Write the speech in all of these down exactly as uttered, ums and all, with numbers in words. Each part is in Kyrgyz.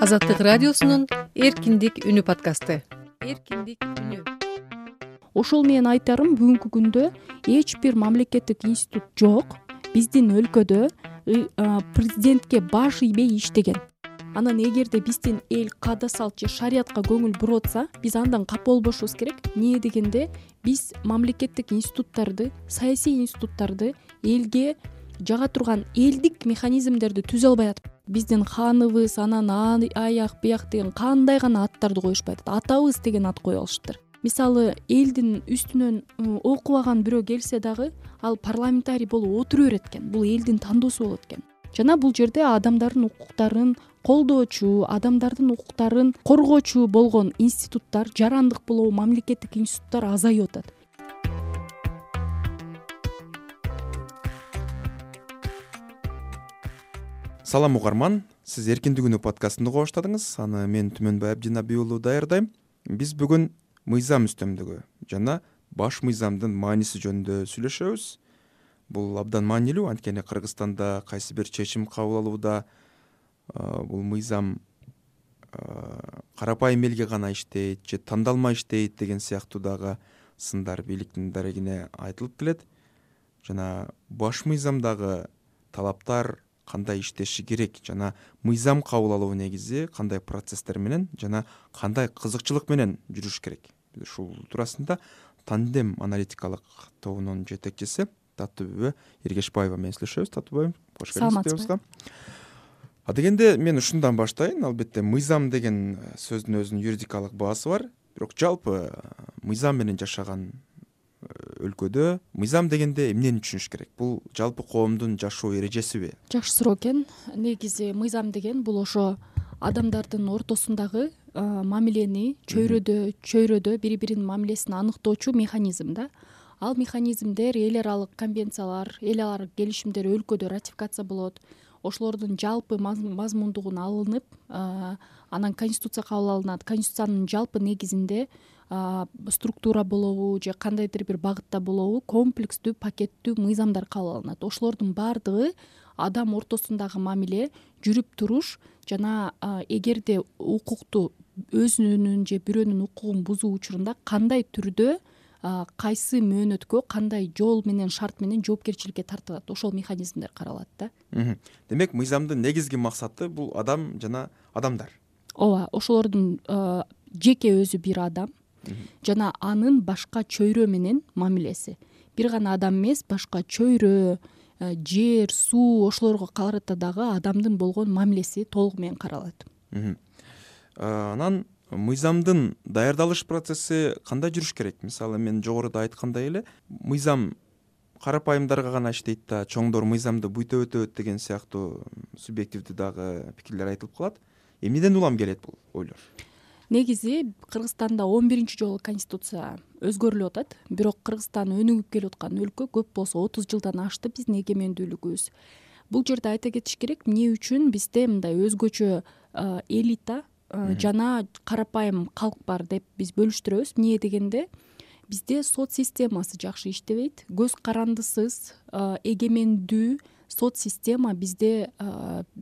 Азаттык радиосунун эркиндик үнү подкасты. Эркиндик үнү. Ошол менен айтарым, бүгүнкү күндө эч бир мамлекеттик институт жок биздин өлкөдө президентке баш ийбей иштеген. Анан эгерде биздин эл каада салт же шариятка көңүл буруп атса, биз андан капа болбошубуз керек. Эмне дегенде, биз мамлекеттик институттарды, саясий институттарды элге жага турган элдик механизмдерди түзө албай атып, биздин ханыбыз, анан аяк бияк деген кандай гана аттарды коюшпай атат. Атабыз деген ат коюп алышыптыр. Мисалы, элдин үстүнөн окубаган бирөө келсе дагы, ал парламентарий болуп отура берет экен. Бул элдин тандоосу болот экен. Жана бул жерде адамдардын укуктарын колдоочу, адамдардын укуктарын коргоочу болгон институттар, жарандык болобу мамлекеттик институттар азайып атат. Салам угарман, сиз Эркиндик үнү подкастын угуп баштадыңыз. Аны мен Түмөнбай Абдинабий уулу даярдайм. Биз бүгүн мыйзам үстөмдүгү жана баш мыйзамдын мааниси жөнүндө сүйлөшөбүз. Бул абдан маанилүү, анткени Кыргызстанда кайсы бир чечим кабыл алууда бул мыйзам карапайым элге гана иштейт же тандалма иштейт деген сыяктуу дагы сындар бийликтин дарегине айтылып келет. Жана баш мыйзамдагы талаптар кандай иштеши керек жана мыйзам кабыл алуу негизи кандай процесстер менен жана кандай кызыкчылык менен жүрүш керек. Биз ушул туурасында Тандем аналитикалык тобунун жетекчиси Татыбүбө Эргешбаева менен сүйлөшөбүз. Татыбүбө, кош келиңиз студиябызга. А дегенде мен ушундан баштайын. Албетте, мыйзам деген сөздүн өзүнүн юридикалык баасы бар. Бирок жалпы мыйзам менен жашаган өлкөдө мыйзам дегенде эмнени түшүнүш керек? Бул жалпы коомдун жашоо эрежесиби? Жакшы суроо экен. Негизи мыйзам деген бул ошо адамдардын ортосундагы мамилени чөйрөдө чөйрөдө бири-биринин мамилесин аныктоочу механизм да. Ал механизмдер эл аралык конвенциялар, эл аралык келишимдер өлкөдө ратификация болот. Ошолордун жалпы мазмундугун алынып, анан конституция кабыл алынат. Конституциянын жалпы негизинде структура болобу же кандайдыр бир багытта болобу комплекстүү, пакеттүү мыйзамдар кабыл алынат. Ошолордун баардыгы адам ортосундагы мамиле, жүрүп туруш жана эгерде укукту өзүнүн же бирөөнүн укугун бузуу учурунда кандай түрдө, кайсы мөөнөткө, кандай жол менен, шарт менен жоопкерчиликке тартылат, ошол механизмдер каралат да. Демек, мыйзамдын негизги максаты бул адам жана адамдар. Ооба, ошолордун жеке өзү бир адам жана анын башка чөйрө менен мамилеси. Бир гана адам эмес, башка чөйрө, жер, суу, ошолорго карата дагы адамдын болгон мамилеси толугу менен каралат. Анан мыйзамдын даярдалыш процесси кандай жүрүш керек? Мисалы, мен жогоруда айткандай эле, мыйзам карапайымдарга гана иштейт да, чоңдор мыйзамды буйта өтөт деген сыяктуу субъективдүү дагы пикирлер айтылып калат. Эмнеден улам келет бул ойлор? Негизи Кыргызстанда он биринчи жолу конституция өзгөрүлүп атат. Бирок Кыргызстан өнүгүп келип аткан өлкө, көп болсо отуз жылдан ашты биздин эгемендүүлүгүбүз. Бул жерде айта кетиш керек, эмне үчүн бизде мындай өзгөчө элита жана карапайым калк бар деп биз бөлүштүрөбүз. Эмне дегенде, бизде сот системасы жакшы иштебейт. Көз карандысыз, эгемендүү сот система бизде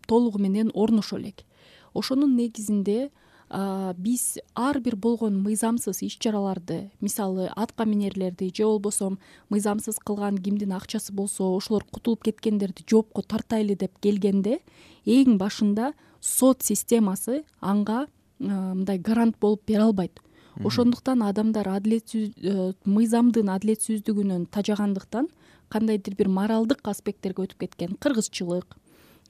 толугу менен орношо элек. Ошонун негизинде биз ар бир болгон мыйзамсыз иш-чараларды, мисалы, атка минерлерди же болбосо мыйзамсыз кылган кимдин акчасы болсо, ошолор кутулуп кеткендерди жоопко тартайлы деп келгенде, эң башында сот системасы анга мындай гарант болуп бере албайт. Ошондуктан адамдар адилетсиз, мыйзамдын адилетсиздигинен тажагандыктан кандайдыр бир моралдык аспекттерге өтүп кеткен, кыргызчылык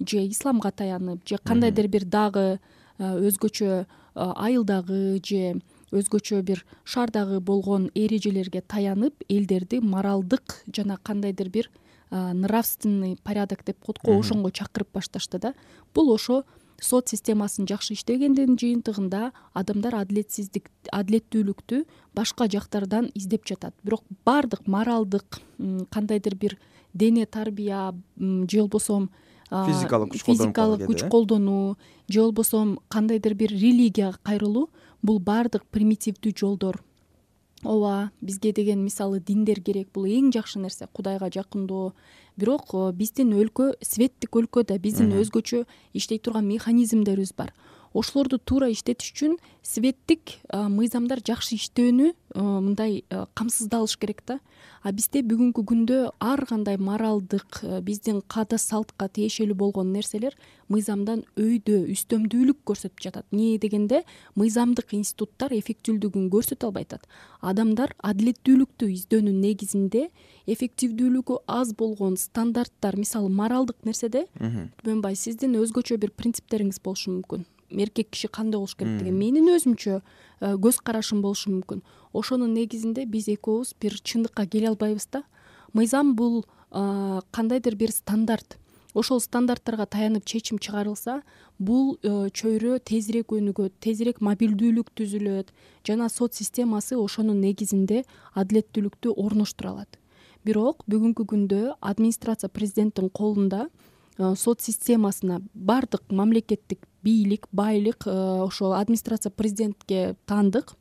же исламга таянып, же кандайдыр бир дагы өзгөчө айылдагы же өзгөчө бир шаардагы болгон эрежелерге таянып, элдерди моралдык жана кандайдыр бир нравственный порядок деп коет го, ошонго чакырып башташты да. Бул ошо сот системасынын жакшы иштегендигинин жыйынтыгында адамдар адилетсиздик, адилеттүүлүктү башка жактардан издеп жатат. Бирок бардык моралдык, кандайдыр бир дене тарбия же болбосо физикалык күч колдонуу же болбосо кандайдыр бир религияга кайрылуу, бул бардык примитивдүү жолдор ооба, бизге деген мисалы диндер керек, бул эң жакшы нерсе, Кудайга жакындоо. Бирок биздин өлкө светтик өлкө да, биздин өзгөчө иштей турган механизмдерибиз бар. Ошолорду туура иштетиш үчүн светтик мыйзамдар жакшы иштөөнү мындай камсыздалыш керек да. А бизде бүгүнкү күндө ар кандай моралдык, биздин каада салтка тиешелүү болгон нерселер мыйзамдан өйдө, үстөмдүүлүк көрсөтүп жатат. Эмне дегенде, мыйзамдык институттар эффективдүүлүгүн көрсөтө албай атат. Адамдар адилеттүүлүктү издөөнүн негизинде эффективдүүлүгү аз болгон стандарттар, мисалы моралдык нерседе, Түмөнбай, сиздин өзгөчө бир принциптериңиз болушу мүмкүн. Эркек киши кандай болуш керек деген менин өзүмчө көз карашым болушу мүмкүн. Ошонун негизинде биз экөөбүз бир чындыкка келе албайбыз да. Мыйзам бул кандайдыр бир стандарт. Ошол стандарттарга таянып чечим чыгарылса, бул чөйрө тезирээк өнүгөт, тезирээк мобилдүүлүк түзүлөт жана сот системасы ошонун негизинде адилеттүүлүктү орноштура алат. Бирок бүгүнкү күндө администрация президенттин колунда сот системасына бардык мамлекеттик бийлик, байлык ошо администрация президентке таандык.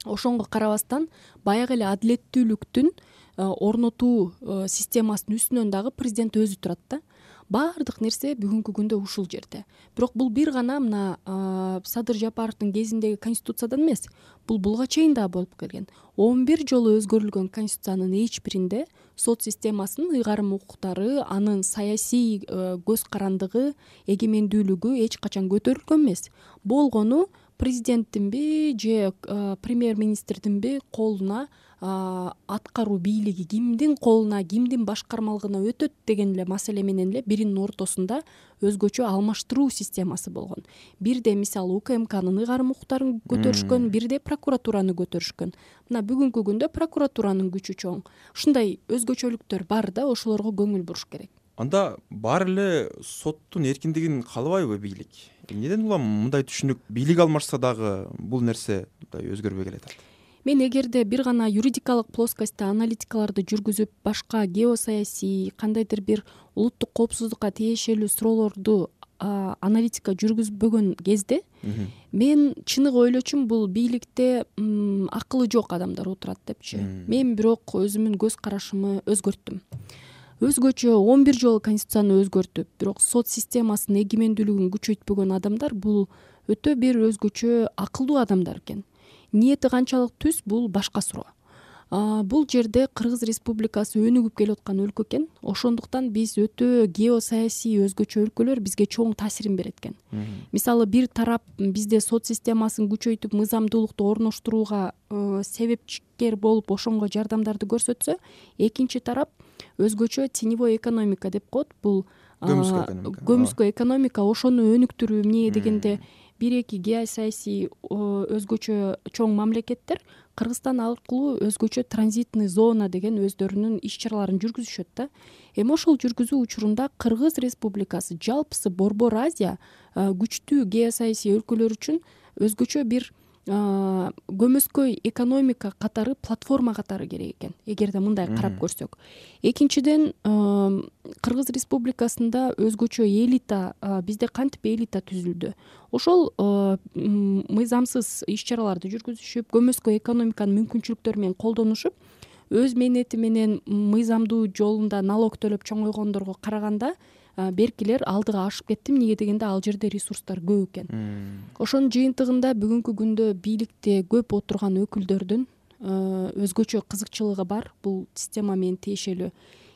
Ошонго карабастан баягы эле адилеттүүлүктүн орнотуу системасынын үстүнөн дагы президент өзү турат да. Бардык нерсе бүгүнкү күндө ушул жерде. Бирок бул бир гана мына Садыр Жапаровдун кезиндеги конституциядан эмес, бул буга чейин дагы болуп келген. он бир жолу өзгөрүлгөн конституциянын эч биринде сот системасынын ыйгарым укуктары, анын саясий көз карандыгы, эгемендүүлүгү эч качан көтөрүлгөн эмес. Болгону президенттинби же премьер-министрдинби колуна, аткаруу бийлиги кимдин колуна, кимдин башкармалыгына өтөт деген эле маселе менен эле биринин ортосунда өзгөчө алмаштыруу системасы болгон. Бирде мисалы УКМКнын ыйгарым укуктарын көтөрүшкөн, бирде прокуратураны көтөрүшкөн. Мына бүгүнкү күндө прокуратуранын күчү чоң. Ушундай өзгөчөлүктөр бар да, ошолорго көңүл буруш керек. Анда баары эле соттун эркиндигин каалабайбы бийлик? Эмнеден улам мындай түшүнүк? Бийлик алмашса дагы бул нерсе өзгөрбөй келатат. Мен эгерде бир гана юридикалык плоскостьта аналитикаларды жүргүзүп, башка геосаясий, кандайдыр бир улуттук коопсуздукка тиешелүү суроолорду аналитика жүргүзбөгөн кезде, мен чыныгы ойлочумун, бул бийликте акылы жок адамдар отурат депчи. Мен бирок өзүмдүн көз карашымы өзгөрттүм. Өзгөчө он бир жолу конституцияны өзгөртүп, бирок сот системасынын эгемендүүлүгүн күчөйтпөгөн адамдар бул өтө бир өзгөчө акылдуу адамдар экен. Ниети канчалык түз, бул башка суроо. Бул жерде Кыргыз Республикасы өнүгүп келаткан өлкө экен. Ошондуктан биз өтө геосаясий өзгөчө өлкөлөр бизге чоң таасирин берет экен. Мисалы, бир тарап бизде сот системасын күчөйтүп, мыйзамдуулукту орноштурууга себепчикер болуп, ошонго жардамдарды көрсөтсө, экинчи тарап өзгөчө теневой экономика деп коет. Бул көмүскө экономика, ошону өнүктүрүү. Эмне дегенде, бир-эки геосаясий өзгөчө чоң мамлекеттер Кыргызстан аркылуу өзгөчө транзитный зона деген өздөрүнүн иш-чараларын жүргүзүшөт да. Эми ошол жүргүзүү учурунда Кыргыз Республикасы жалпысы Борбор Азия күчтүү геосаясий өлкөлөр үчүн өзгөчө бир көмөскөй экономика катары, платформа катары керек экен, эгерде мындай карап көрсөк. Экинчиден, Кыргыз Республикасында өзгөчө элита, бизде кантип элита түзүлдү? Ошол мыйзамсыз иш-чараларды жүргүзүшүп, көмөскөй экономиканын мүмкүнчүлүктөрү менен колдонушуп, өз мээнети менен мыйзамдуу жолунда налог төлөп чоңойгондорго караганда беркилер алдыга ашып кетти. Эмне дегенде, ал жерде ресурстар көп экен. Ошонун жыйынтыгында бүгүнкү күндө бийликте көп отурган өкүлдөрдүн өзгөчө кызыкчылыгы бар бул система менен тиешелүү.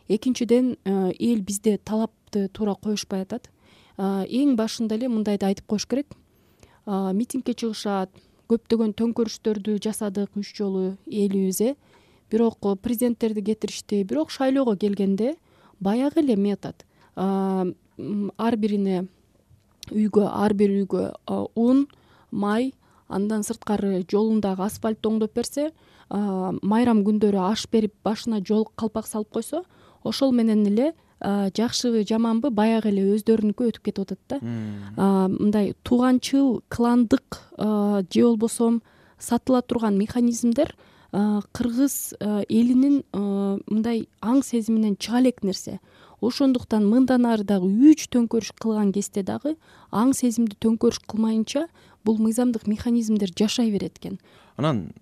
Экинчиден, эл бизде талапты туура коюшпай атат. Эң башында эле мындайды айтып коюш керек. Митингге чыгышат, көптөгөн төңкөрүштөрдү жасадык үч жолу элибиз, бирок президенттерди кетиришти. Бирок шайлоого келгенде баягы эле метод. Ар бирине үйгө, ар бир үйгө ун, май, андан сырткары жолундагы асфальт оңдоп берсе, майрам күндөрү аш берип, башына жол калпак салып койсо, ошол менен эле жакшыбы, жаманбы баягы эле өздөрүнүкү өтүп кетип атат да. Мындай тууганчыл, кландык же болбосо сатыла турган механизмдер кыргыз элинин мындай аң сезиминен чыга элек нерсе. Ошондуктан мындан ары дагы үч төңкөрүш кылган кезде дагы аң сезимди төңкөрүш кылмайынча бул мыйзамдык механизмдер жашай берет экен. Анан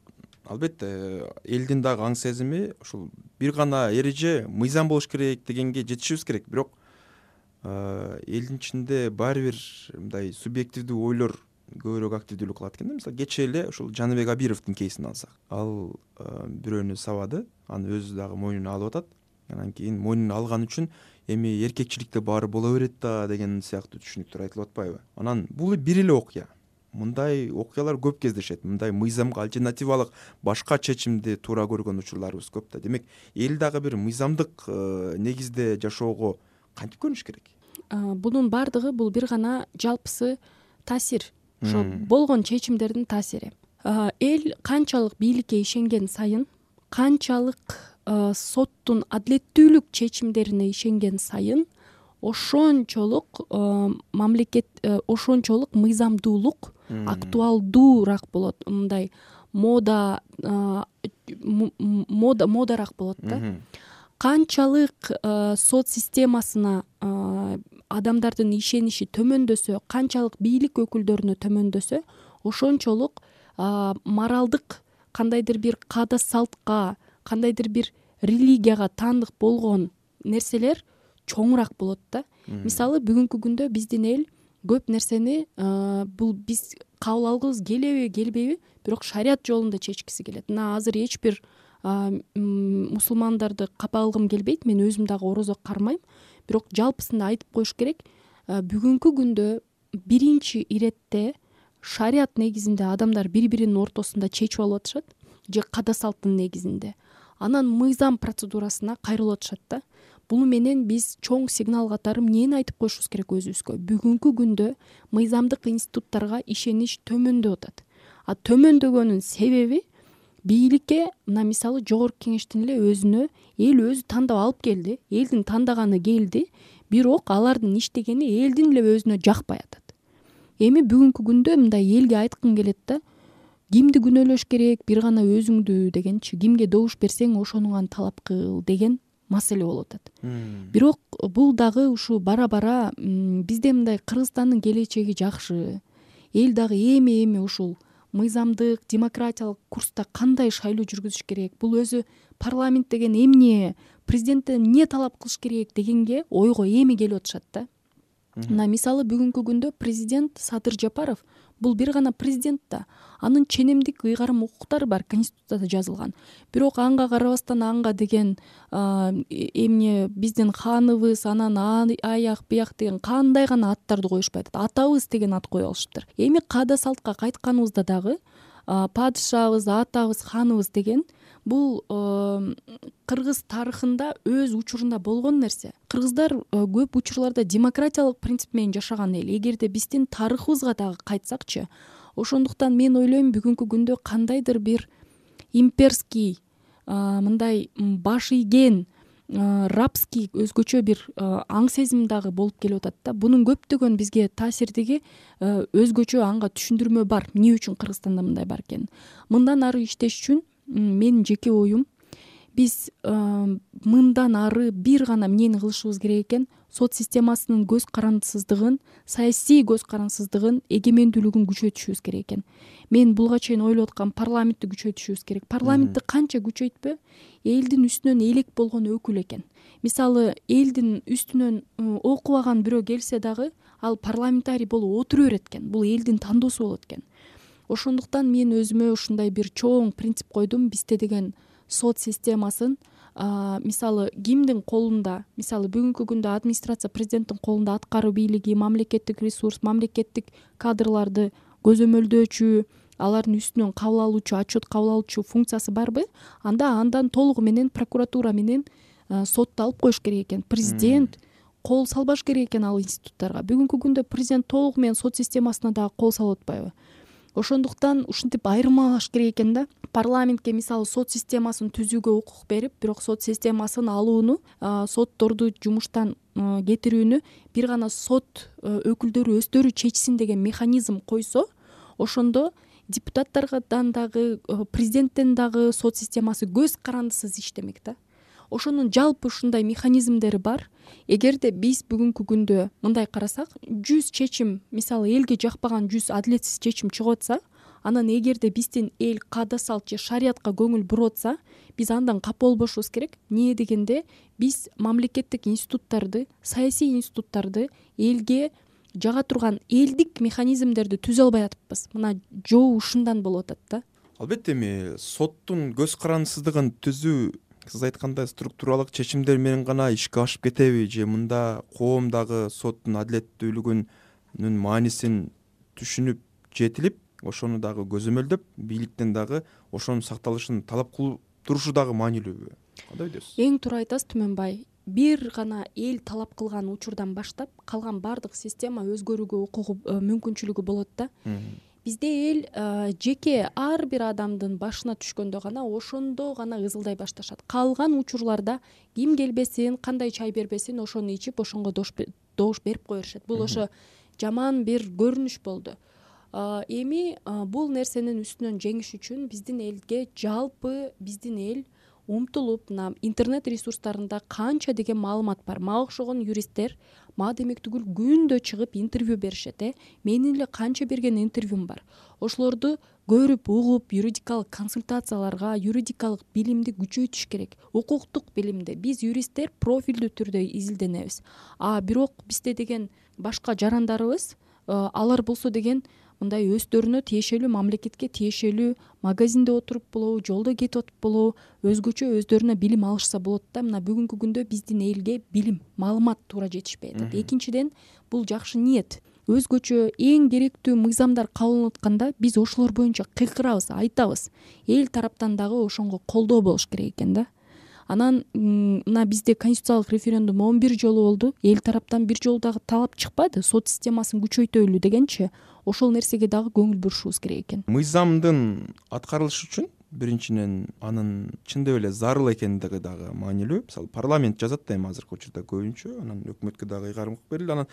албетте элдин дагы аң сезими ушул бир гана эреже мыйзам болуш керек дегенге жетишибиз керек. Бирок элдин ичинде баары бир мындай субъективдүү ойлор көбүрөөк активдүүлүк кылат экен да. Мисалы кечээ эле ушул Жаныбек Абировдун кейсин алсак, ал бирөөнү сабады, аны өзү дагы мойнуна алып атат. Анан кийин мойнуна алган үчүн эми эркекчиликте баары боло берет да деген сыяктуу түшүнүктөр айтылып атпайбы? Анан бул бир эле окуя. Мындай окуялар көп кездешет. Мындай мыйзамга альтернативалык башка чечимди туура көргөн учурларыбыз көп да. Демек, эл дагы бир мыйзамдык негизде жашоого кантип көрүнүш керек? Бунун баардыгы бул бир гана жалпысы таасир, ошо болгон чечимдердин таасири. Эл канчалык бийликке ишенген сайын, канчалык соттун адилеттүүлүк чечимдерине ишенген сайын, ошончолук мамлекет ошончолук мыйзамдуулук актуалдуураак болот. Мындай мода мода модараак болот да. Канчалык сот системасына адамдардын ишениши төмөндөсө, канчалык бийлик өкүлдөрүнө төмөндөсө, ошончолук моралдык кандайдыр бир каада салтка, кандайдыр бир религияга таандык болгон нерселер чоңураак болот да. Мисалы, бүгүнкү күндө биздин эл көп нерсени бул биз кабыл алгыбыз келеби, келбейби, бирок шарият жолунда чечкиси келет. Мына азыр эч бир мусулмандарды капа алгым келбейт. Мен өзүм дагы орозо кармайм. Бирок жалпысында айтып коюш керек, бүгүнкү күндө биринчи иретте шарият негизинде адамдар бири-биринин ортосунда чечип алып атышат, же каада салттын негизинде. Анан мыйзам процедурасына кайрылып атышат да. Бул менен биз чоң сигнал катары эмнени айтып коюшубуз керек өзүбүзгө? Бүгүнкү күндө мыйзамдык институттарга ишенич төмөндөп атат. А төмөндөгөнүн себеби бийликке, мына мисалы жогорку кеңештин эле өзүнө эл өзү тандап алып келди, элдин тандаганы келди, бирок алардын иштегени элдин эле өзүнө жакпай атат. Эми бүгүнкү күндө мындай элге айткым келет да, кимди күнөөлөш керек, бир гана өзүңдү дегенчи, кимге добуш берсең ошону талап кыл деген маселе болуп атат. Бирок бул дагы ушу бара-бара бизде мындай Кыргызстандын келечеги жакшы. Эл дагы эми-эми ушул мыйзамдык, демократиялык курста кандай шайлоо жүргүзүш керек, бул өзү парламент деген эмне, президенттен эмне талап кылыш керек дегенге ойго эми келип атышат да. Мына мисалы бүгүнкү күндө президент Садыр Жапаров бул бир гана президент да. Анын ченемдик ыйгарым укуктары бар, конституцияда жазылган. Бирок анга карабастан анга деген эмне биздин ханыбыз, анан аяк бияк деген кандай гана аттарды коюшпай атат. Атабыз деген ат коюп алышыптыр. Эми каада салтка кайтканыбызда дагы падышабыз, атабыз, ханыбыз деген бул кыргыз тарыхында өз учурунда болгон нерсе. Кыргыздар көп учурларда демократиялык принцип менен жашаган эл. Эгерде биздин тарыхыбызга дагы кайтсакчы, ошондуктан мен ойлойм бүгүнкү күндө кандайдыр бир имперский, мындай баш ийген, рабский өзгөчө бир аң сезим дагы болуп келип атат да. Бунун көптөгөн бизге таасирдиги өзгөчө, анга түшүндүрмө бар. Эмне үчүн Кыргызстанда мындай бар экен? Мындан ары иштеш үчүн менин жеке оюм, биз мындан ары бир гана эмнени кылышыбыз керек экен? Сот системасынын көз карандысыздыгын, саясий көз карандысыздыгын, эгемендүүлүгүн күчөтүшүбүз керек экен. Мен булга чейин ойлоп аткам, парламентти күчөтүшүбүз керек. Парламентти канча күчөйтпө, элдин үстүнөн элек болгон өкүл экен. Мисалы, элдин үстүнөн окубаган бирөө келсе дагы, ал парламентарий болуп отура берет экен. Бул элдин тандоосу болот экен. Ошондуктан мен өзүмө ушундай бир чоң принцип койдум. Бизде деген сот системасын мисалы кимдин колунда, мисалы бүгүнкү күндө администрация президенттин колунда аткаруу бийлиги, мамлекеттик ресурс, мамлекеттик кадрларды көзөмөлдөөчү, алардын үстүнөн кабыл алуучу, отчет кабыл алуучу функциясы барбы? Анда андан толугу менен прокуратура менен сотто алып коюш керек экен. Президент кол салбаш керек экен ал институттарга. Бүгүнкү күндө президент толугу менен сот системасына дагы кол салып атпайбы? Ошондуктан ушинтип айырмалаш керек экен да. Парламентке мисалы сот системасын түзүүгө укук берип, бирок сот системасын алууну, сотторду жумуштан кетирүүнү бир гана сот өкүлдөрү өздөрү чечсин деген механизм койсо, ошондо депутаттардан дагы, президенттен дагы сот системасы көз карандысыз иштемек да. Ошонун жалпы ушундай механизмдери бар. Эгерде биз бүгүнкү күндө мындай карасак, жүз чечим, мисалы элге жакпаган жүз адилетсиз чечим чыгып атса, Анан эгерде биздин эл каада салт же шариятка көңүл буруп атса, биз андан капа болбошубуз керек. Эмне дегенде биз мамлекеттик институттарды, саясий институттарды элге жага турган элдик механизмдерди түзө албай атыппыз. Мына жоо ушундан болуп атат да. Албетте эми соттун көз карандысыздыгын түзүү, сиз айткандай структуралык чечимдер менен гана ишке ашып кетеби же мында коомдагы соттун адилеттүүлүгүнүн маанисин түшүнүп жетилип, ошону дагы көзөмөлдөп, бийликтен дагы ошонун сакталышын талап кылып турушу дагы маанилүүбү? Кандай дейсиз? Эң туура айтасыз Түмөнбай. Бир гана эл талап кылган учурдан баштап калган баардык система өзгөрүүгө укугу мүмкүнчүлүгү болот да. Бизде эл жеке ар бир адамдын башына түшкөндө гана ошондо гана ызылдай башташат. Калган учурларда ким келбесин, кандай чай бербесин, ошону ичип, ошонго добуш берип кое беришет. Бул ошо жаман бир көрүнүш болду. Эми бул нерсенин үстүнөн жеңиш үчүн биздин элге жалпы биздин эл умтулуп, мына интернет ресурстарында канча деген маалымат бар. Мага окшогон юристтер мага демек түгүл күндө чыгып интервью беришет. Э менин эле канча берген интервьюм бар. Ошолорду көрүп, угуп, юридикалык консультацияларга, юридикалык билимди күчөйтүш керек. Укуктук билимди биз юристтер профилдүү түрдө изилденебиз. А бирок бизде деген башка жарандарыбыз, алар болсо деген мындай өздөрүнө тиешелүү, мамлекетке тиешелүү магазинде отуруп болобу, жолдо кетип атып болобу, өзгөчө өздөрүнө билим алышса болот да. Мына бүгүнкү күндө биздин элге билим, маалымат туура жетишпей атат. Экинчиден, бул жакшы ниет. Өзгөчө эң керектүү мыйзамдар кабыл атканда биз ошолор боюнча кыйкырабыз, айтабыз. Эл тараптан дагы ошонго колдоо болуш керек экен да. Анан мына бизде конституциялык референдум он бир жолу болду. Эл тараптан бир жолу дагы талап чыкпады. Сот системасын күчөйтөлү дегенчи, ошол нерсеге дагы көңүл бурушубуз керек экен. Мыйзамдын аткарылышы үчүн биринчиден анын чындап эле зарыл экендиги дагы маанилүү. Мисалы парламент жазат да эми азыркы учурда көбүнчө, анан өкмөткө дагы ыйгарым кылып берилди. Анан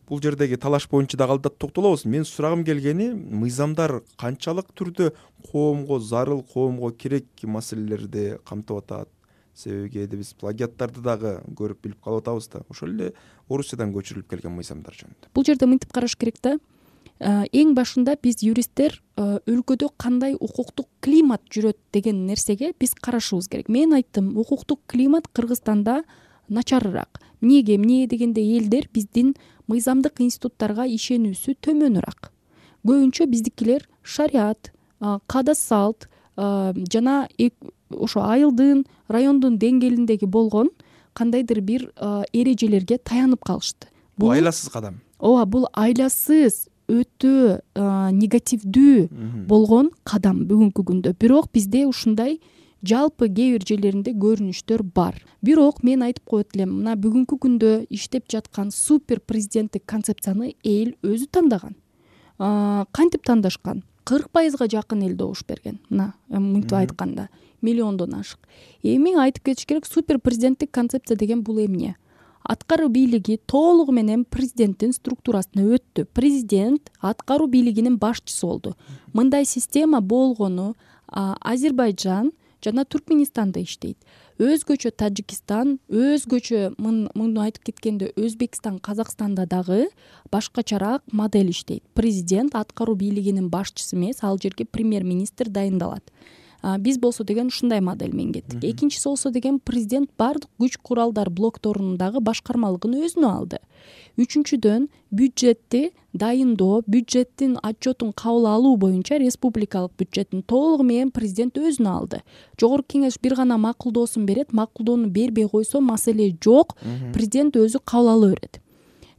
бул жердеги талаш боюнча дагы алда токтолобуз. Менин сурагым келгени, мыйзамдар канчалык түрдө коомго зарыл, коомго керек маселелерди камтып атат? Себеби кээде биз плагиаттарды дагы көрүп билип калып атабыз да. Ошол эле Орусиядан көчүрүлүп келген мыйзамдар жөнүндө. Бул жерде мынтип караш керек да. Эң башында биз юристтер өлкөдө кандай укуктук климат жүрөт деген нерсеге биз карашыбыз керек. Мен айттым, укуктук климат Кыргызстанда начарыраак. Эмнеге? Эмне дегенде элдер биздин мыйзамдык институттарга ишенүүсү төмөнүраак. Көбүнчө биздикилер шарият, каада салт жана ошо айылдын, райондун деңгээлиндеги болгон кандайдыр бир эрежелерге таянып калышты. Бул айласыз кадам. Ооба, бул айласыз, өтө негативдүү болгон кадам бүгүнкү күндө. Бирок бизде ушундай жалпы кээ бир жерлеринде көрүнүштөр бар. Бирок мен айтып коет элем, мына бүгүнкү күндө иштеп жаткан супер президенттик концепцияны эл өзү тандаган. Кантип тандашкан? кырк пайызга жакын эл добуш берген. Мына мынтип айтканда миллиондон ашык. Эми айтып кетиш керек, супер президенттик концепция деген бул эмне? Аткаруу бийлиги толугу менен президенттин структурасына өттү. Президент аткаруу бийлигинин башчысы болду. Мындай система болгону Азербайжан жана Түркменистанда иштейт. Өзгөчө Тажикстан, өзгөчө муну айтып кеткенде Өзбекстан, Казакстанда дагы башкачараак модель иштейт. Президент аткаруу бийлигинин башчысы эмес, ал жерге премьер-министр дайындалат. Биз болсо деген ушундай модель менен кеттик. Экинчиси болсо деген президент бардык күч куралдар блокторунун дагы башкармалыгын өзүнө алды. Үчүнчүдөн, бюджетти дайындоо, бюджеттин отчетун кабыл алуу боюнча республикалык бюджеттин толугу менен президент өзүнө алды. Жогорку кеңеш бир гана макулдоосун берет, макулдоону бербей койсо маселе жок, президент өзү кабыл ала берет.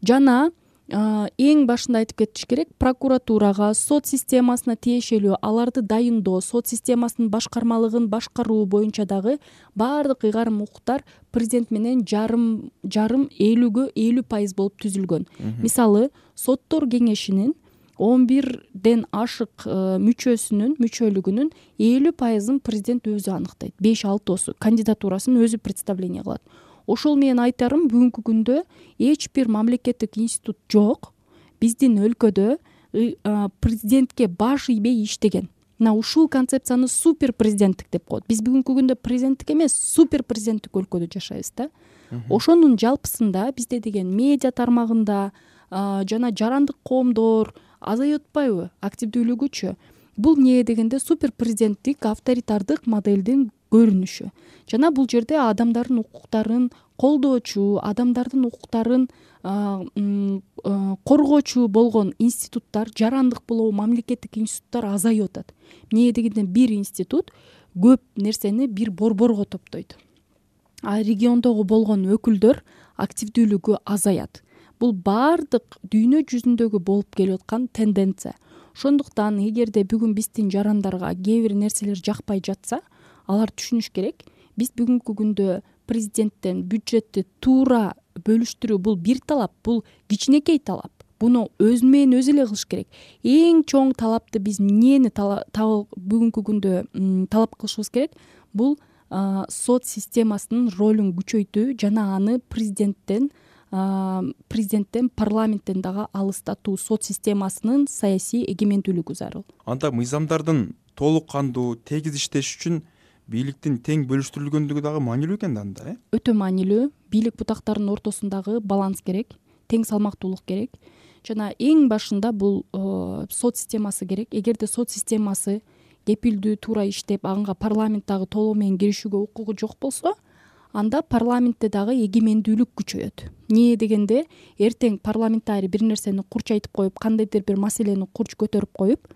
Жана эң башында айтып кетиш керек, прокуратурага, сот системасына тиешелүү аларды дайындоо, сот системасынын башкармалыгын башкаруу боюнча дагы баардык ыйгарым укуктар президент менен жарым жарым элүүгө элүү пайыз болуп түзүлгөн. Мисалы, соттор кеңешинин он бирден ашык мүчөсүнүн мүчөлүгүнүн элүү пайызын президент өзү аныктайт. беш алтысы кандидатурасын өзү представление кылат. Ошол менен айтарым, бүгүнкү күндө эч бир мамлекеттик институт жок биздин өлкөдө президентке баш ийбей иштеген. Мына ушул концепцияны супер президенттик деп коет. Биз бүгүнкү күндө президенттик эмес, супер президенттик өлкөдө жашайбыз да. Ошонун жалпысында бизде деген медиа тармагында жана жарандык коомдор азайып атпайбы активдүүлүгүчү? бул эмне дегенде супер президенттик авторитардык моделдин көрүнүшү жана бул жерде адамдардын укуктарын колдоочу, адамдардын укуктарын коргоочу болгон институттар, жарандык болобу мамлекеттик институттар азайып атат. Эмне дегенде бир институт көп нерсени бир борборго топтойт, а региондогу болгон өкүлдөр активдүүлүгү азаят. Бул баардык дүйнө жүзүндөгү болуп келип аткан тенденция. Ошондуктан эгерде бүгүн биздин жарандарга кээ бир нерселер жакпай жатса, алар түшүнүш керек, биз бүгүнкү күндө президенттен бюджетти туура бөлүштүрүү бул бир талап, бул кичинекей талап. Буну өзү менен өзү эле кылыш керек. Эң чоң талапты биз эмнени бүгүнкү күндө талап кылышыбыз керек? Бул сот системасынын ролун күчөйтүү жана аны президенттен президенттен парламенттен дагы алыстатуу, сот системасынын саясий эгемендүүлүгү зарыл. Анда мыйзамдардын толук кандуу тегиз иштеш үчүн бийликтин тең бөлүштүрүлгөндүгү дагы маанилүү экен да анда, э? Өтө маанилүү. Бийлик бутактарынын ортосундагы баланс керек, тең салмактуулук керек. Жана эң башында бул сот системасы керек. Эгерде сот системасы кепилдүү, туура иштеп, анга парламент дагы толугу менен киришүүгө укугу жок болсо, анда парламентте дагы эгемендүүлүк күчөйөт. Эмне дегенде, эртең парламентарий бир нерсени курч айтып коюп, кандайдыр бир маселени курч көтөрүп коюп,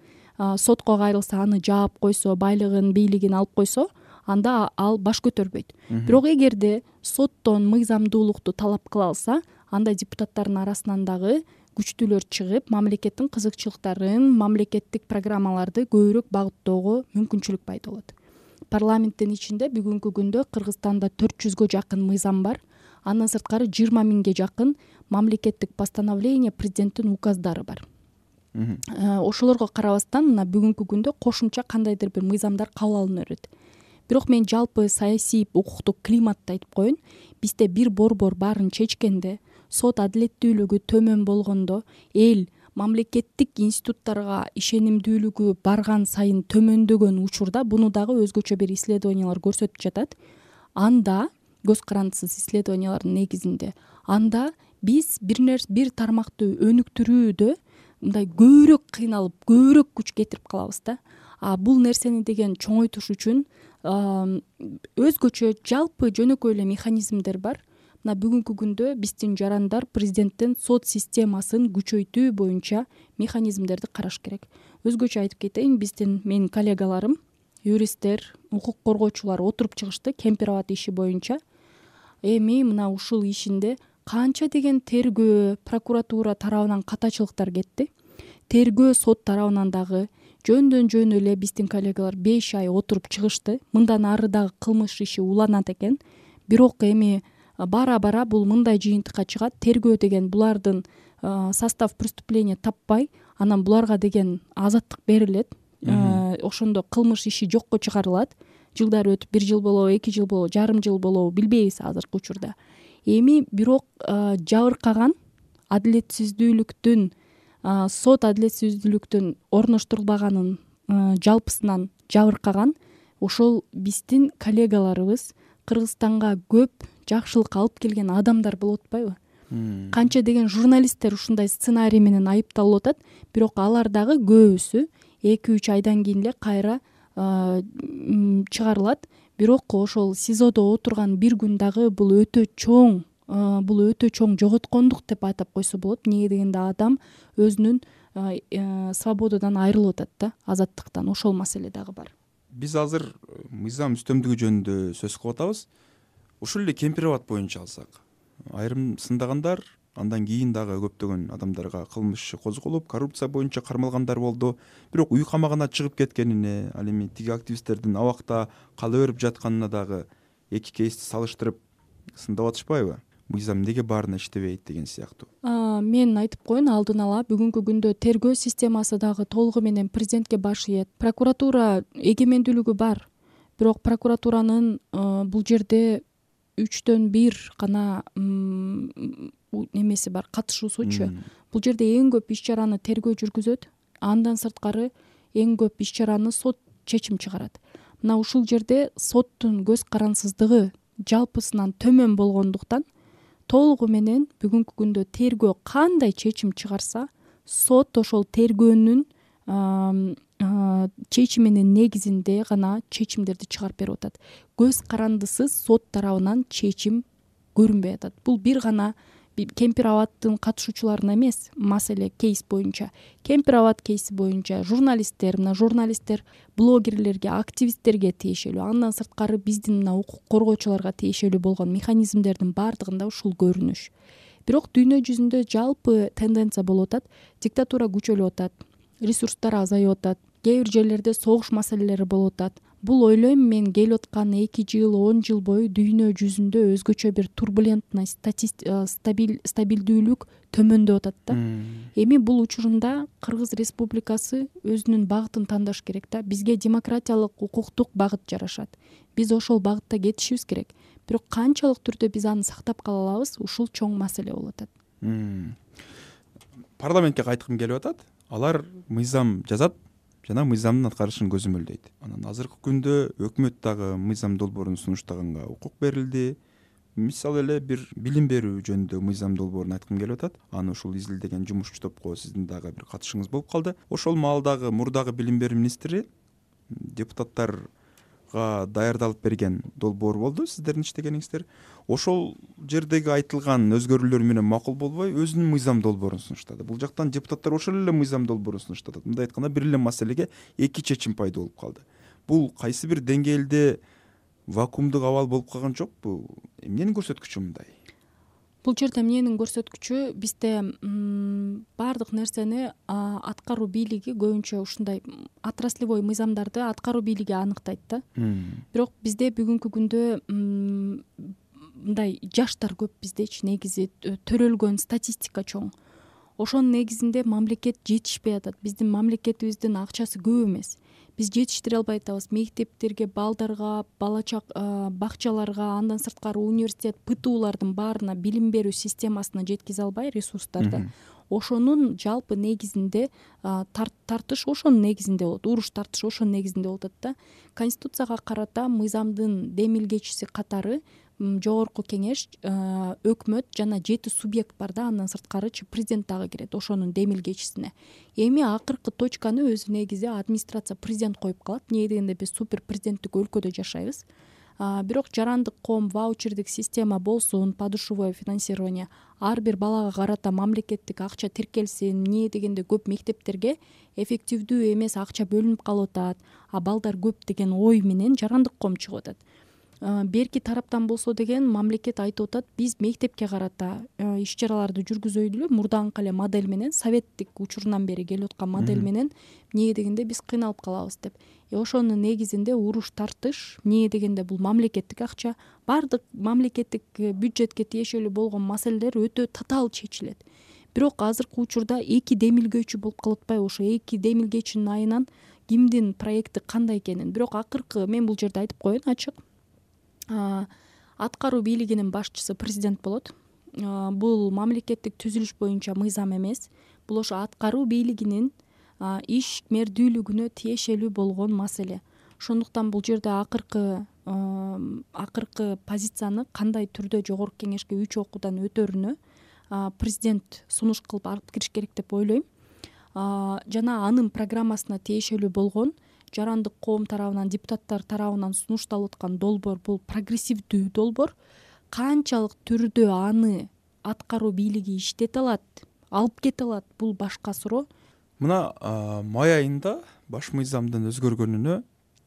сотко кайрылса, аны жаап койсо, байлыгын, бийлигин алып койсо, анда ал баш көтөрбөйт. Бирок эгерде соттон мыйзамдуулукту талап кыла алса, анда депутаттардын арасынан дагы күчтүүлөр чыгып, мамлекеттин кызыкчылыктарын, мамлекеттик программаларды көбүрөөк багыттоого мүмкүнчүлүк пайда болот. Парламенттин ичинде бүгүнкү күндө Кыргызстанда төрт жүзгө жакын мыйзам бар. Андан сырткары жыйырма миңге жакын мамлекеттик постановление, президенттин указдары бар. Ошолорго карабастан, мына бүгүнкү күндө кошумча кандайдыр бир мыйзамдар кабыл алына берет. Бирок мен жалпы саясий укуктук климатты айтып коеюн. Бизде бир борбор баарын чечкенде, сот адилеттүүлүгү төмөн болгондо, эл мамлекеттик институттарга ишенимдүүлүгү барган сайын төмөндөгөн учурда, буну дагы өзгөчө бир исследованиялар көрсөтүп жатат. Анда көз карандысыз исследованиялардын негизинде, анда биз бир нерсе бир тармакты өнүктүрүүдө мындай көбүрөөк кыйналып, көбүрөөк күч кетирип калабыз да. А бул нерсени деген чоңойтуш үчүн өзгөчө жалпы жөнөкөй эле механизмдер бар. Мына бүгүнкү күндө биздин жарандар президенттин сот системасын күчөйтүү боюнча механизмдерди караш керек. Өзгөчө айтып кетейин, биздин менин коллегаларым, юристтер, укук коргоочулар отуруп чыгышты Кемпирабад иши боюнча. Эми мына ушул ишинде канча деген тергөө, прокуратура тарабынан катачылыктар кетти. Тергөө сот тарабынан дагы жөндөн жөн эле биздин коллегалар беш ай отуруп чыгышты. Мындан ары дагы кылмыш иши уланат экен. Бирок эми бара-бара бул мындай жыйынтыкка чыгат. Тергөө деген булардын состав преступления таппай, анан буларга деген азаттык берилет. Ошондо кылмыш иши жокко чыгарылат. Жылдар өтүп, бир жыл болобу, эки жыл болобу, жарым жыл болобу билбейбиз азыркы учурда. Эми бирок жабыркаган адилетсиздүүлүктүн, сот адилетсиздүүлүктүн орноштурулбаганын жалпысынан жабыркаган ошол биздин коллегаларыбыз, Кыргызстанга көп жакшылык алып келген адамдар болуп атпайбы? Канча деген журналисттер ушундай сценарий менен айыпталып атат, бирок алар дагы көбүсү эки үч айдан кийин эле кайра чыгарылат. Бирок ошол СИЗОдо отурган бир күн дагы бул өтө чоң, бул өтө чоң жоготкондук деп атап койсо болот. Эмне дегенде адам өзүнүн свободадан айрылып атат да, азаттыктан. Ошол маселе дагы бар. Биз азыр мыйзам үстөмдүгү жөнүндө сөз кылып атабыз. Ушул эле Кемпирабад боюнча алсак, айрым сындагандар, андан кийин дагы көптөгөн адамдарга кылмыш иши козголуп, коррупция боюнча кармалгандар болду. Бирок үй камагына чыгып кеткенине, ал эми тиги активисттердин абакта кала берип жатканына дагы эки кейсти салыштырып сындап атышпайбы? Мыйзам эмнеге баарына иштебейт деген сыяктуу. Мен айтып коеюн алдын ала, бүгүнкү күндө тергөө системасы дагы толугу менен президентке баш ийет. Прокуратура эгемендүүлүгү бар. Бирок прокуратуранын бул жерде үчтөн бир гана немеси бар, катышуусучу. Бул жерде эң көп иш чараны тергөө жүргүзөт. Андан сырткары эң көп иш чараны сот чечим чыгарат. Мына ушул жерде соттун көз карансыздыгы жалпысынан төмөн болгондуктан толугу менен бүгүнкү күндө тергөө кандай чечим чыгарса, сот ошол тергөөнүн чечиминин негизинде гана чечимдерди чыгарып берип атат. Көз карандысыз сот тарабынан чечим көрүнбөй атат. Бул бир гана Кемпир абадтын катышуучуларына эмес, маселе кейс боюнча, Кемпир абад кейси боюнча журналисттер, мына журналисттер блогерлерге, активисттерге тиешелүү, андан сырткары биздин мына укук коргоочуларга тиешелүү болгон механизмдердин баардыгында ушул көрүнүш. Бирок дүйнө жүзүндө жалпы тенденция болуп атат, диктатура күчөлүп атат, ресурстар азайып атат, кээ бир жерлерде согуш маселелери болуп атат. Бул ойлойм мен келип аткан эки жыл, он жыл бою дүйнө жүзүндө өзгөчө бир турбулентность, стабилдүүлүк төмөндөп атат да. Эми бул учурунда Кыргыз Республикасы өзүнүн багытын тандаш керек да. Бизге демократиялык, укуктук багыт жарашат. Биз ошол багытта кетишибиз керек. Бирок канчалык түрдө биз аны сактап кала алабыз, ушул чоң маселе болуп атат. Парламентке кайткым келип атат. Алар мыйзам жазат жана мыйзамдын аткарышын көзөмөлдөйт. Анан азыркы күндө өкмөт дагы мыйзам долбоорун сунуштаганга укук берилди. Мисалы эле бир билим берүү жөнүндө мыйзам долбоорун айткым келип атат. Аны ушул изилдеген жумушчу топко сиздин дагы бир катышыңыз болуп калды. Ошол маалдагы мурдагы билим берүү министри депутаттарга даярдалып берген долбоор болду, сиздердин иштегениңиздер. Ошол жердеги айтылган өзгөрүүлөр менен макул болбой, өзүнүн мыйзам долбоорун сунуштады. Бул жактан депутаттар ошол эле мыйзам долбоорун сунуштатат. Мындай айтканда бир эле маселеге эки чечим пайда болуп калды. Бул кайсы бир деңгээлде вакуумдук абал болуп калган жокпу? Эмненин көрсөткүчү мындай? Бул жерде эмненин көрсөткүчү? Бизде баардык нерсени аткаруу бийлиги көбүнчө ушундай отраслевой мыйзамдарды аткаруу бийлиги аныктайт да. Бирок бизде бүгүнкү күндө мындай жаштар көп биздечи, негизи төрөлгөн статистика чоң. Ошонун негизинде мамлекет жетишпей атат. Биздин мамлекетибиздин акчасы көп эмес. Биз жетиштире албай атабыз. Мектептерге, балдарга, балачак бакчаларга, андан сырткары университет, ПТУлардын баарына билим берүү системасына жеткизе албай ресурстарды. Ошонун жалпы негизинде тартыш ошонун негизинде болот. Уруш тартыш ошонун негизинде болуп атат да. Конституцияга карата мыйзамдын демилгечиси катары жогорку кеңеш, өкмөт жана жети субъект бар да, андан сырткарычы президент дагы кирет ошонун демилгечисине. Эми акыркы точканы өзү негизи администрация, президент коюп калат. Эмне дегенде биз супер президенттик өлкөдө жашайбыз. Бирок жарандык коом, ваучердик система болсун, подушевое финансирование, ар бир балага карата мамлекеттик акча тиркелсин, эмне дегенде көп мектептерге эффективдүү эмес акча бөлүнүп калып атат, а балдар көп деген ой менен жарандык коом чыгып атат. Берки тараптан болсо деген мамлекет айтып атат, биз мектепке карата иш чараларды жүргүзөлү, мурдаңкы эле модель менен, советтик учурунан бери келип аткан модель менен, эмне дегенде биз кыйналып калабыз деп. Э ошонун негизинде уруш тартыш, эмне дегенде бул мамлекеттик акча, баардык мамлекеттик бюджетке тиешелүү болгон маселелер өтө татаал чечилет. Бирок азыркы учурда эки демилгөөчү болуп калып атпайбы? Ошо эки демилгечинин айынан кимдин проекти кандай экенин. Бирок акыркы мен бул жерде айтып коеюн ачык. Аткаруу бийлигинин башчысы президент болот. Бул мамлекеттик түзүлүш боюнча мыйзам эмес. Бул ошо аткаруу бийлигинин ишмердүүлүгүнө тиешелүү болгон маселе. Ошондуктан бул жерде акыркы акыркы позицияны кандай түрдө жогорку кеңешке үч окуудан өтөрүнө президент сунуш кылып алып кириш керек деп ойлойм. Жана анын программасына тиешелүү болгон жарандык коом тарабынан, депутаттар тарабынан сунушталып аткан долбоор бул прогрессивдүү долбоор. Канчалык түрдө аны аткаруу бийлиги иштете алат, алып кете алат, бул башка суроо. Мына май айында баш мыйзамдын өзгөргөнүнө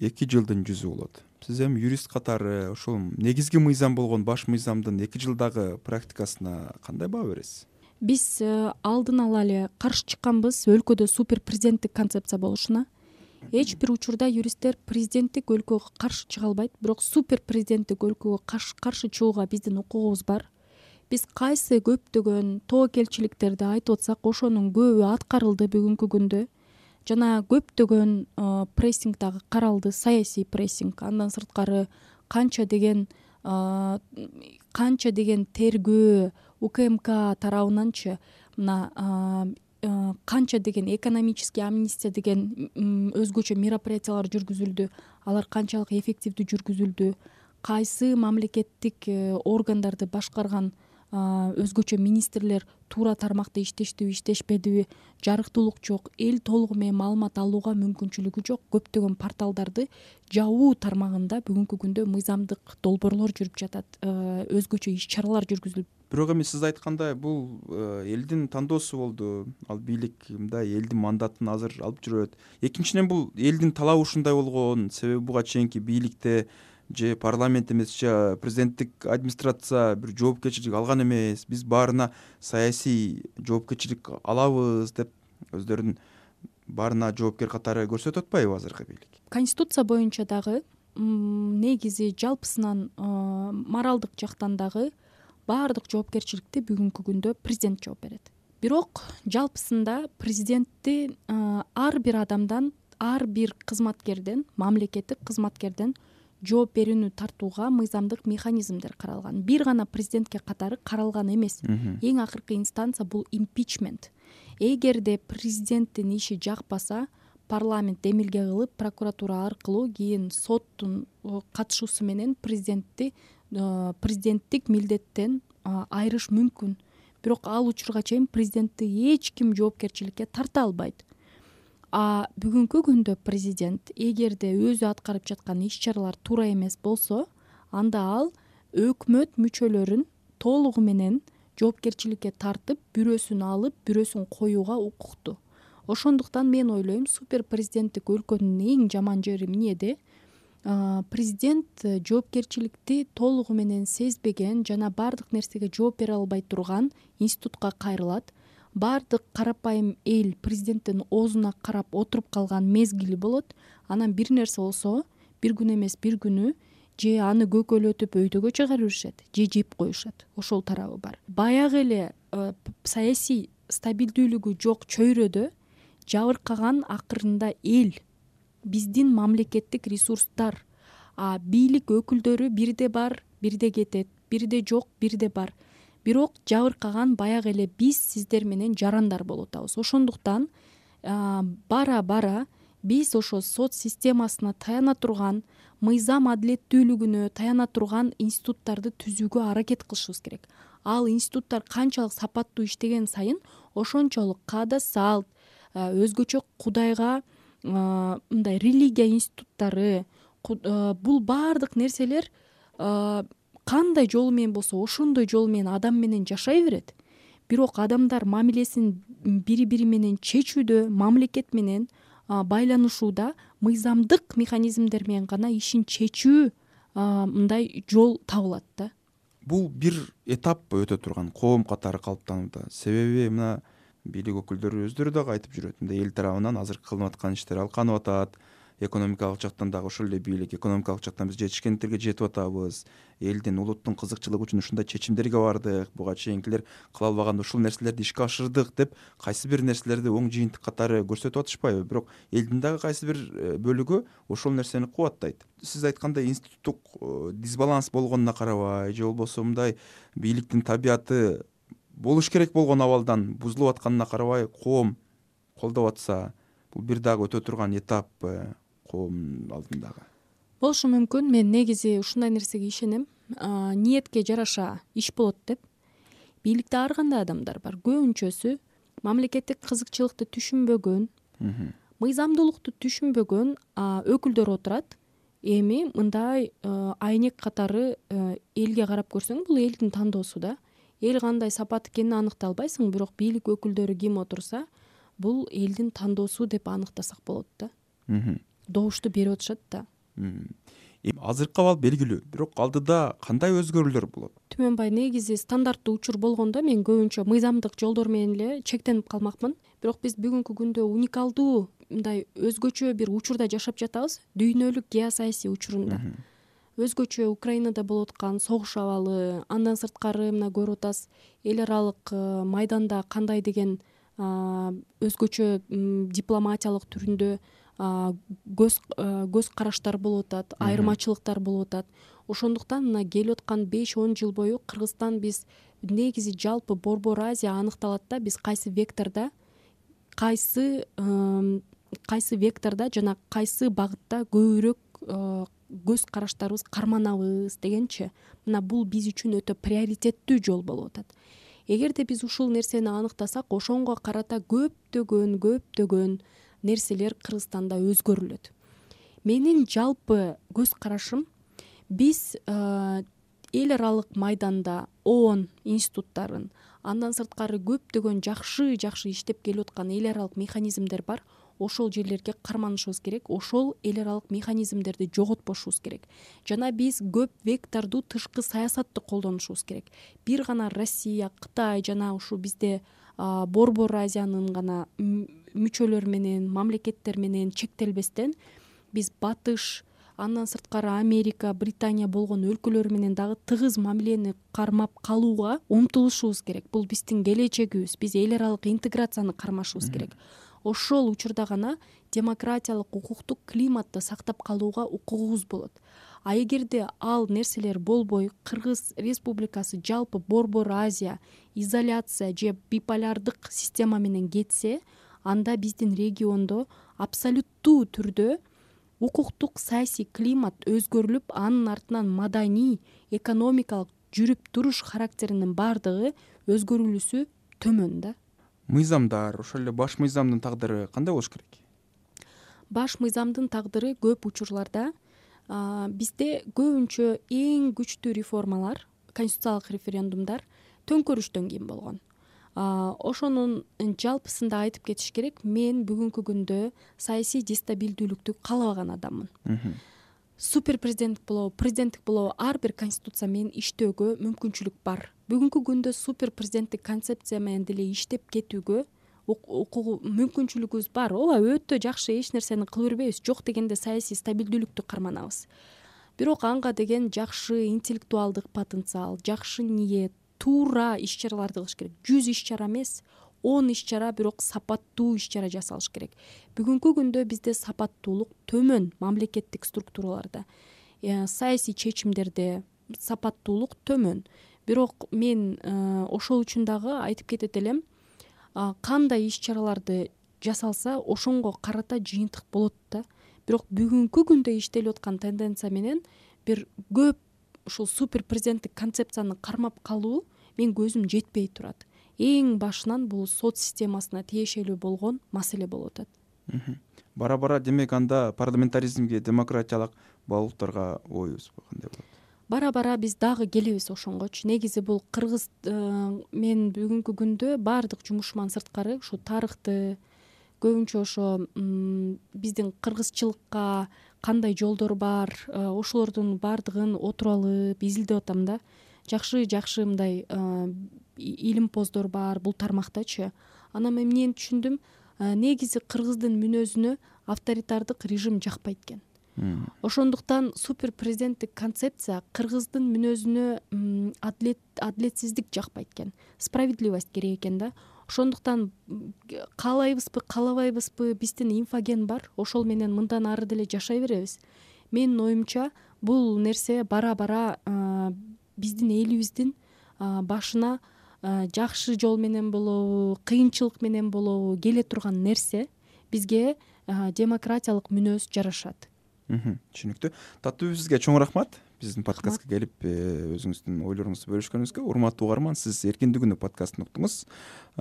эки жылдын жүзү болот. Сиз эми юрист катары ошол негизги мыйзам болгон баш мыйзамдын эки жылдагы практикасына кандай баа бересиз? Биз алдын ала эле каршы чыкканбыз өлкөдө супер президенттик концепция болушуна. Эч бир учурда юристтер президенттик өлкөгө каршы чыга албайт, бирок супер президенттик өлкөгө каршы чыгууга биздин укугубуз бар. Биз кайсы көптөгөн тобокелчиликтерди айтып атсак, ошонун көбү аткарылды бүгүнкү күндө. Жана көптөгөн прессинг дагы каралды, саясий прессинг. Андан сырткары канча деген канча деген тергөө УКМК тарабынанчы мына канча деген экономический амнистия деген өзгөчө мероприятиялар жүргүзүлдү. Алар канчалык эффективдүү жүргүзүлдү, кайсы мамлекеттик органдарды башкарган өзгөчө министрлер туура тармакта иштештиби иштешпедиби, жарыктуулук жок, эл толугу менен маалымат алууга мүмкүнчүлүгү жок. Көптөгөн порталдарды жабуу тармагында бүгүнкү күндө мыйзамдык долбоорлор жүрүп жатат, өзгөчө иш чаралар жүргүзүлүп. Бирок эми сиз айткандай бул элдин тандоосу болду, ал бийлик мындай элдин мандатын азыр алып жүрөт. Экинчиден бул элдин талабы ушундай болгон, себеби буга чейинки бийликте же парламент эмес же президенттик администрация бир жоопкерчилик алган эмес, биз баарына саясий жоопкерчилик алабыз деп өздөрүн баарына жоопкер катары көрсөтүп атпайбы азыркы бийлик? Конституция боюнча дагы негизи жалпысынан моралдык жактан дагы баардык жоопкерчиликти бүгүнкү күндө президент жооп берет. Бирок жалпысында президентти ар бир адамдан, ар бир кызматкерден, мамлекеттик кызматкерден жооп берүүнү тартууга мыйзамдык механизмдер каралган. Бир гана президентке катары каралган эмес. Эң акыркы инстанция бул импичмент. Эгерде президенттин иши жакпаса, парламент демилге кылып, прокуратура аркылуу кийин соттун катышуусу менен президентти президенттик милдеттен айырыш мүмкүн. Бирок ал учурга чейин президентти эч ким жоопкерчиликке тарта албайт. А бүгүнкү күндө президент эгерде өзү аткарып жаткан иш чаралар туура эмес болсо, анда ал өкмөт мүчөлөрүн толугу менен жоопкерчиликке тартып, бирөөсүн алып, бирөөсүн коюуга укуктуу. Ошондуктан мен ойлойм, супер президенттик өлкөнүн эң жаман жери эмнеде? Президент жоопкерчиликти толугу менен сезбеген жана баардык нерсеге жооп бере албай турган институтка кайрылат. Баардык карапайым эл президенттин оозуна карап отуруп калган мезгили болот. Анан бир нерсе болсо, бир күн эмес бир күнү же аны көкөлөтүп өйдөгө чыгарып беришет, же жеп коюшат. Ошол тарабы бар. Баягы эле саясий стабилдүүлүгү жок чөйрөдө жабыркаган акырында эл, биздин мамлекеттик ресурстар, а бийлик өкүлдөрү бирде бар, бирде кетет, бирде жок, бирде бар. Бирок жабыркаган баягы эле биз сиздер менен жарандар болуп атабыз. Ошондуктан бара-бара биз ошо сот системасына таяна турган, мыйзам адилеттүүлүгүнө таяна турган институттарды түзүүгө аракет кылышыбыз керек. Ал институттар канчалык сапаттуу иштеген сайын ошончолук каада салт, өзгөчө Кудайга мындай религия институттары, бул баардык нерселер кандай жолу менен болсо ошондой жолу менен адам менен жашай берет. Бирок адамдар мамилесин бири-бири менен чечүүдө, мамлекет менен байланышууда мыйзамдык механизмдер менен гана ишин чечүү мындай жол табылат да. Бул бир этап өтө турган коом катары калыптанууда. Себеби мына бийлик өкүлдөрү өздөрү дагы айтып жүрөт, мындай эл тарабынан азыр кылынып аткан иштер алканып атат. Экономикалык жактан дагы ошол эле бийлик, экономикалык жактан биз жетишкендиктерге жетип атабыз. Элдин, улуттун кызыкчылыгы үчүн ушундай чечимдерге бардык. Буга чейинкилер кыла албаган ушул нерселерди ишке ашырдык деп кайсы бир нерселерди оң жыйынтык катары көрсөтүп атышпайбы? Бирок элдин дагы кайсы бир бөлүгү ошол нерсени кубаттайт. Сиз айткандай институттук дисбаланс болгонуна карабай, же болбосо мындай бийликтин табияты болуш керек болгон абалдан бузулуп атканына карабай коом колдоп атса, бул бир дагы өтө турган этап коом алдындагы. Болушу мүмкүн. Мен негизи ушундай нерсеге ишенем. Ниетке жараша иш болот деп. Бийликте ар кандай адамдар бар. Көбүнчөсү мамлекеттик кызыкчылыкты түшүнбөгөн, мыйзамдуулукту түшүнбөгөн өкүлдөр отурат. Эми мындай айнек катары элге карап көрсөң, бул элдин тандоосу да. Эл кандай сапат экенин аныктай албайсың, бирок бийлик өкүлдөрү ким отурса, бул элдин тандоосу деп аныктасак болот да. Добушту берип атышат да. Эми азыркы абал белгилүү, бирок алдыда кандай өзгөрүүлөр болот? Түмөнбай, негизи стандарттуу учур болгондо мен көбүнчө мыйзамдык жолдор менен эле чектенип калмакмын. Бирок биз бүгүнкү күндө уникалдуу, мындай өзгөчө бир учурда жашап жатабыз, дүйнөлүк геосаясий учурунда. Өзгөчө Украинада болуп аткан согуш абалы, андан сырткары мына көрүп атасыз, эл аралык майданда кандай деген өзгөчө дипломатиялык түрүндө көз көз караштар болуп атат, айырмачылыктар болуп атат. Ошондуктан мына келип аткан беш он жыл бою Кыргызстан биз негизи жалпы Борбор Азия аныкталат да, биз кайсы вектордо, кайсы кайсы вектордо жана кайсы багытта көбүрөөк көз караштарыбыз карманабыз дегенчи, мына бул биз үчүн өтө приоритеттүү жол болуп атат. Эгерде биз ушул нерсени аныктасак, ошонго карата көптөгөн көптөгөн нерселер Кыргызстанда өзгөрүлөт. Менин жалпы көз карашым, биз эл аралык майданда ООН институттарын, андан сырткары көптөгөн жакшы жакшы иштеп келип аткан эл аралык механизмдер бар. Ошол жерлерге карманышыбыз керек, ошол эл аралык механизмдерди жоготпошубуз керек. Жана биз көп вектордуу тышкы саясатты колдонушубуз керек. Бир гана Россия, Кытай жана ушу бизде Борбор Азиянын гана мүчөлөр менен, мамлекеттер менен чектелбестен, биз Батыш, андан сырткары Америка, Британия болгон өлкөлөр менен дагы тыгыз мамилени кармап калууга умтулушубуз керек. Бул биздин келечегибиз. Биз эл аралык интеграцияны кармашыбыз керек. Ошол учурда гана демократиялык, укуктук климатты сактап калууга укугубуз болот. А эгерде ал нерселер болбой, Кыргыз Республикасы жалпы Борбор Азия, изоляция же биполярдык система менен кетсе, анда биздин региондо абсолюттуу түрдө укуктук саясий климат өзгөрүлүп, анын артынан маданий, экономикалык жүрүп туруш характеринин баардыгы өзгөрүлүүсү төмөн да. Мыйзамдар, ошол эле баш мыйзамдын тагдыры кандай болуш керек? Баш мыйзамдын тагдыры көп учурларда бизде көбүнчө эң күчтүү реформалар, конституциялык референдумдар төңкөрүштөн кийин болгон. Ошонун жалпысында айтып кетиш керек, мен бүгүнкү күндө саясий дестабилдүүлүктү каалабаган адаммын. Супер президенттик болобу, президенттик болобу, ар бир конституция менен иштөөгө мүмкүнчүлүк бар. Бүгүнкү күндө супер президенттик концепция менен деле иштеп кетүүгө укугу мүмкүнчүлүгүбүз бар. Ооба, өтө жакшы, эч нерсени кыла бербейбиз. Жок дегенде саясий стабилдүүлүктү карманабыз. Бирок анга деген жакшы интеллектуалдык потенциал, жакшы ниет, туура иш-чараларды кылыш керек. жүз иш-чара эмес, он иш-чара, бирок сапаттуу иш-чара жасалыш керек. Бүгүнкү күндө бизде сапаттуулук төмөн мамлекеттик структураларда, саясий чечимдерде сапаттуулук төмөн. Бирок мен ошол үчүн дагы айтып кетет элем, кандай иш-чараларды жасалса ошонго карата жыйынтык болот да. Бирок бүгүнкү күндө иштелип аткан тенденция менен бир көп ушул супер президенттик концепцияны кармап калуу мен көзүм жетпей турат. Эң башынан бул сот системасына тиешелүү болгон маселе болуп атат. Бара-бара демек анда парламентаризмге, демократиялык багуулуктарга оюбуз кандай болот? Бара-бара биз дагы келебиз ошонгочу. Негизи бул Кыргыз мен бүгүнкү күндө баардык жумушуман сырткары ушу тарыхты, көбүнчө ошо биздин кыргызчылыкка кандай жолдор бар, ошолордун баардыгын отуруп алып изилдеп атам да. Жакшы жакшы мындай илимпоздор бар бул тармактачы. Анан мен эмнени түшүндүм, негизи кыргыздын мүнөзүнө авторитардык режим жакпайт экен. Ошондуктан супер президенттик концепция кыргыздын мүнөзүнө адилет адилетсиздик жакпайт экен. Справедливость керек экен да. Ошондуктан каалайбызбы, каалабайбызбы, биздин инфоген бар, ошол менен мындан ары деле жашай беребиз. Менин оюмча бул нерсе бара-бара биздин элибиздин башына жакшы жол менен болобу, кыйынчылык менен болобу келе турган нерсе бизге демократиялык мүнөз жарашат. Түшүнүктүү. Таттуу, сизге чоң рахмат. Биздин подкастка келип өзүңүздүн ойлоруңузду бөлүшкөнүңүзгө. Урматтуу угарман, сиз Эркиндик күнү подкастын уктуңуз.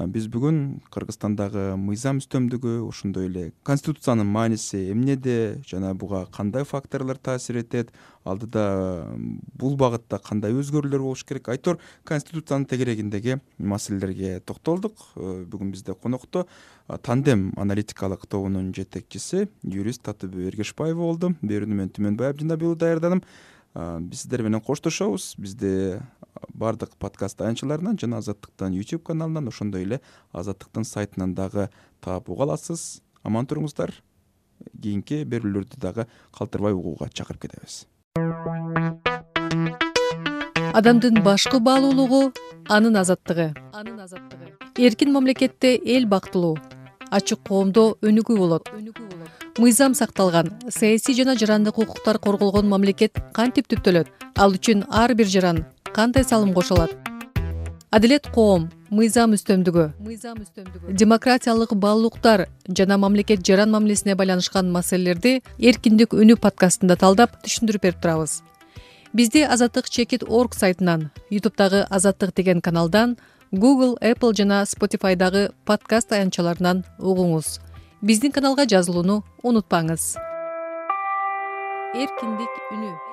Биз бүгүн Кыргызстандагы мыйзам үстөмдүгү, ошондой эле конституциянын мааниси эмнеде жана буга кандай факторлор таасир этет, алдыда бул багытта кандай өзгөрүүлөр болуш керек, айтор конституциянын тегерегиндеги маселелерге токтолдук. Бүгүн бизде конокто Тандем аналитикалык тобунун жетекчиси юрист Татыбү Эргешбаева болду. Берүүнү мен Түмөнбай Абдинабиұлы даярдадым. Биз сиздер менен коштошобуз. Бизде баардык подкаст аянтчыларынан жана Азаттыктын YouTube каналынан, ошондой эле Азаттыктын сайтынан дагы таап уга аласыз. Аман туруңуздар. Кийинки берүүлөрдү дагы калтырбай угууга чакырып кетебиз. Адамдын башкы баалуулугу анын азаттыгы. Анын азаттыгы. Эркин мамлекетте эл бактылуу, ачык коомдо өнүгүү болот. Мыйзам сакталган, саясий жана жарандык укуктар корголгон мамлекет кантип түптөлөт? Ал үчүн ар бир жаран кандай салым кошо алат? адилет коом, мыйзам үстөмдүгү, мыйзам үстөмдүгү, демократиялык баалуулуктар жана мамлекет жаран мамилесине байланышкан маселелерди Эркиндик үнү подкастында талдап түшүндүрүп берип турабыз. Бизди азаттык чекит точка орг сайтынан, ютубтагы азаттык деген каналдан, Google, Apple жана Spotify'дагы подкаст аянтчаларынан угуңуз. Биздин каналга жазылууну унутпаңыз. Эркиндик үнү.